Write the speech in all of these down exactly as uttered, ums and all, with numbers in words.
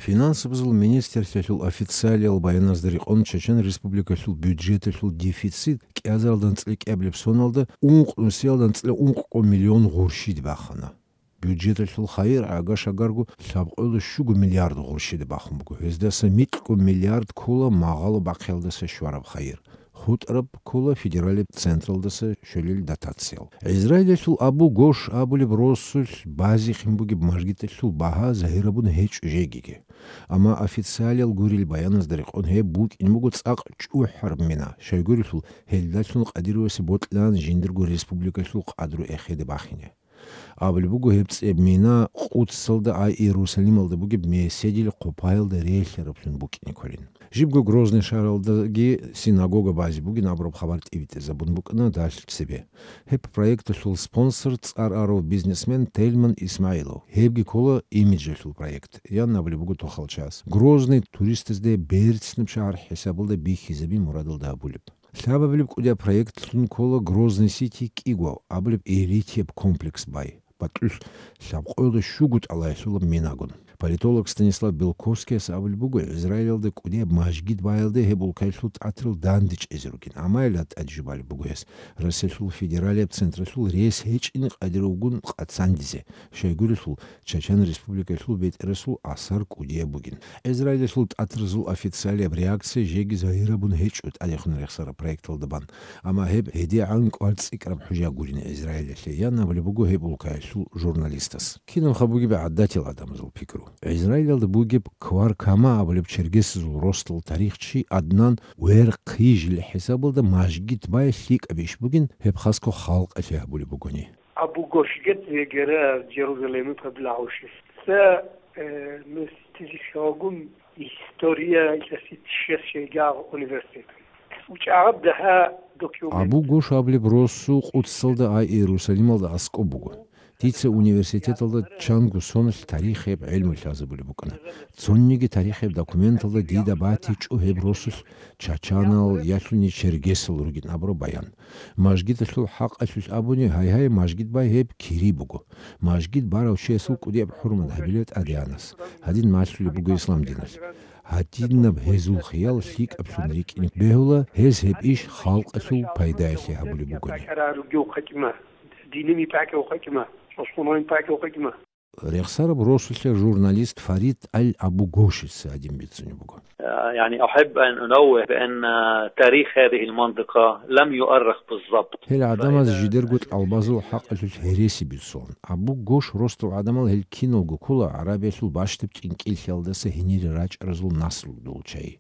Финансабазул министрлъиялъул официалиял баяназда рекъон, Чечен Республикалъул бюджеталъул дефицит кӀиазаралда анцӀила кӀиабилеб соналда ункъ нусиялда анцӀила ункъго миллион гъурщиде бахана. Бюджеталъул хайир гӀага-шагарго лъабкъоялда щуго миллиард гъурщиде бахун буго. Гьездаса микьго миллиард ккола магъало бахъиялдаса щвараб хайир. ХутӀараб ккола федералияб централдаса щолел дотациял. Израилалъул Абу Гош абулеб росулъ базихъин бугеб мажгиталъул багьа загьирабун гьечӀо жегиги. Амма официалиял гурел баяназда рекъон гьеб букӀин буго цӀакъ чӀухӀараб мина, щайгурелъул гьелдалъун Къадировасе бокьилаан жиндирго республикалъул къадру эхеде бахине. Абулеб буго, гьеб цӀеб мина Къудсалда, ай Иерусалималда бугеб меседил хъупаялда релълъараблъун букӀине кколин. Жибго Грозный шагьаралдаги синагога базе бугин абураб хабар тӀибитӀизабун букӀана далъ цебе. Гьеб проекталъул спонсор цӀар арав бизнесмен Тельман Исмаилов. Гьебги ккола имиджалъул проект, ян абулеб буго тохалчияс. Грозный туристазде берцинаб шагьар хӀисабалда бихьизаби мурадалда абулеб. Лъабабилеб кӀудияб проектлъун ккола Грозный Сити кӀиго абулеб элитияб комплекс бай, бакьулъ лъабкъоялда щуго тӀалаялъулаб минагун. Политолог Станислав Белковскияс абулеб буго, Израилалда кӀудияб мажгит баялде гьеб улкаялъул тӀатарал данде чӀезе ругин, амма гьелда тӀаде жубалеб буго гьес, Россиялъул федералияб централъул рес гьечӀин къадировгун къацандизе, щайгурелъул Чечен Республикалъул бетӀерасул асар кӀудияб бугин. Израилалъул тӀатаразул официалияб реакция жеги загьирабун гьечӀо тӀадехун рехсараб проекталда бан, амма гьеб гьедигӀан кӀвар цӀикӀкӀараб хӀужа гурин Израилалъе, ян абулеб буго гьеб улкаялъул журналистас. Кинабха бугеб гӀадатил гӀадамазул пикру? Израилалда бугеб Квар Кама абулеб чергесазул росдал тарихчи Аднан Верхъижил хӀисабалда мажгит бай лъикӀаб иш бугин, гьеб хасго халкъалъе гьабулеб бугони. Абу Гошгет вегера Джерузалемы поблагающий. Ца, э, мистилищалгун история илъаси чияс шейгагъ университет. УчӀагъаб дагьа документ. Абу Гош абулеб росу Къудсалда, ай Иерусалималда аскӀоб буго. Дица университеталда чанго соналъ тарихияб гӀелму лъазабулеб букӀана. Цониги тарихияб документалда дида батичӀо гьеб росулъ чачанал ялъуни чергесал ругин абураб баян. Мажгиталъул хӀакъалъулъ абуни, гьайгьай, мажгит бай гьеб кири буго. Мажгит барав чиясул кӀудияб хӀурмат гьабила тӀадегӀанас. Гьадин малъулеб буго ислам диналъ. Гьадинаб гьезул хиял лъикӀаблъун рикӀкӀине бегьула, гьез гьеб иш халкъалъул пайдаялъе гьабулеб бугони. Диними пакӀи ухъачӀма, цӀослъунани пакӀи ухъачӀма. Рехсараб росулъе журналист Фарид Аль-Абу Гошица гьадин бицунеб буго. يعني أحب أن أنوه بأن تاريخ هذه المنطقة لم يؤرخ بالضبط. Гьел гӀадамаз жидерго тӀалбазул хӀакъалъулъ гьереси бицун. Абу Гош росдал гӀадамал гьел киналго ккола ГӀарабиялъул бащдаб тӀинкӀиллъиялдаса гьенире рачӀаразул наслудул чагӀи.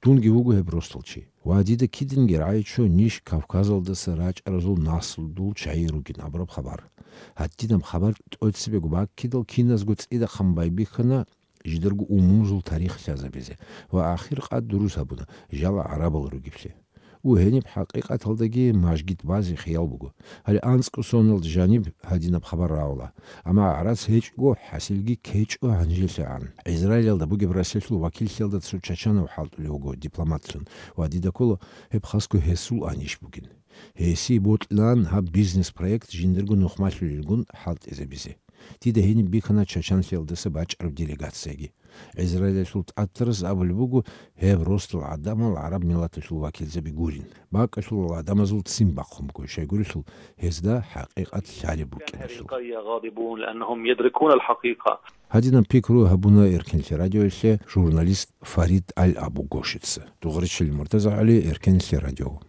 Дунги вуго гьеб росдал чи. Ва дида кидинги рагӀичӀо ниж Кавказалдаса рачӀаразул наслудул чагӀи ругин абураб хабар. Гьадинаб хабар тӀоцебего баккидал киназго цӀидахъан байбихьана жидерго умумузул тарих лъазабизе ва ахир къад дурус гьабуна жала гӀарабал ругеблъи. У гьениб хӀакъикъаталдаги мажгит базе хиял буго. Гьале анцӀго соналда жаниб гьадинаб хабар рагӀула. Амма гӀарац гьечӀого, хӀасилги ккечӀо гьанжелъагӀан. Израилалда бугеб Россиялъул вакиллъиялда цо чачанав хӀалтӀулев вуго дипломатлъун ва дида ккола гьеб хасго гьесул анищ бугин. Гьесие бокьилаан гьаб бизнес-проект жиндирго нухмалъулелгун хӀалтӀизабизе. Дида гьениб бихьана чачанлъиялдаса бачӀараб делегацияги. Израилалъул тӀатарас абулеб буго, гьеб росдал гӀадамал гӀараб миллаталъул вакилзаби гурин. БакӀалъулал гӀадамазул ццин бахъун буго, щайгурелъул гьезда хӀакъикъат лъалеб букӀиналъул. أهل القرية غاضبون لأنهم يدركون الحقيقة. Гьадинаб пикру гьабуна Эркенлъи радиоялъе журналист Фарид Аль-Абу Гошица. Дугъричилин Муртаза ГӀали, Эркенлъи радио.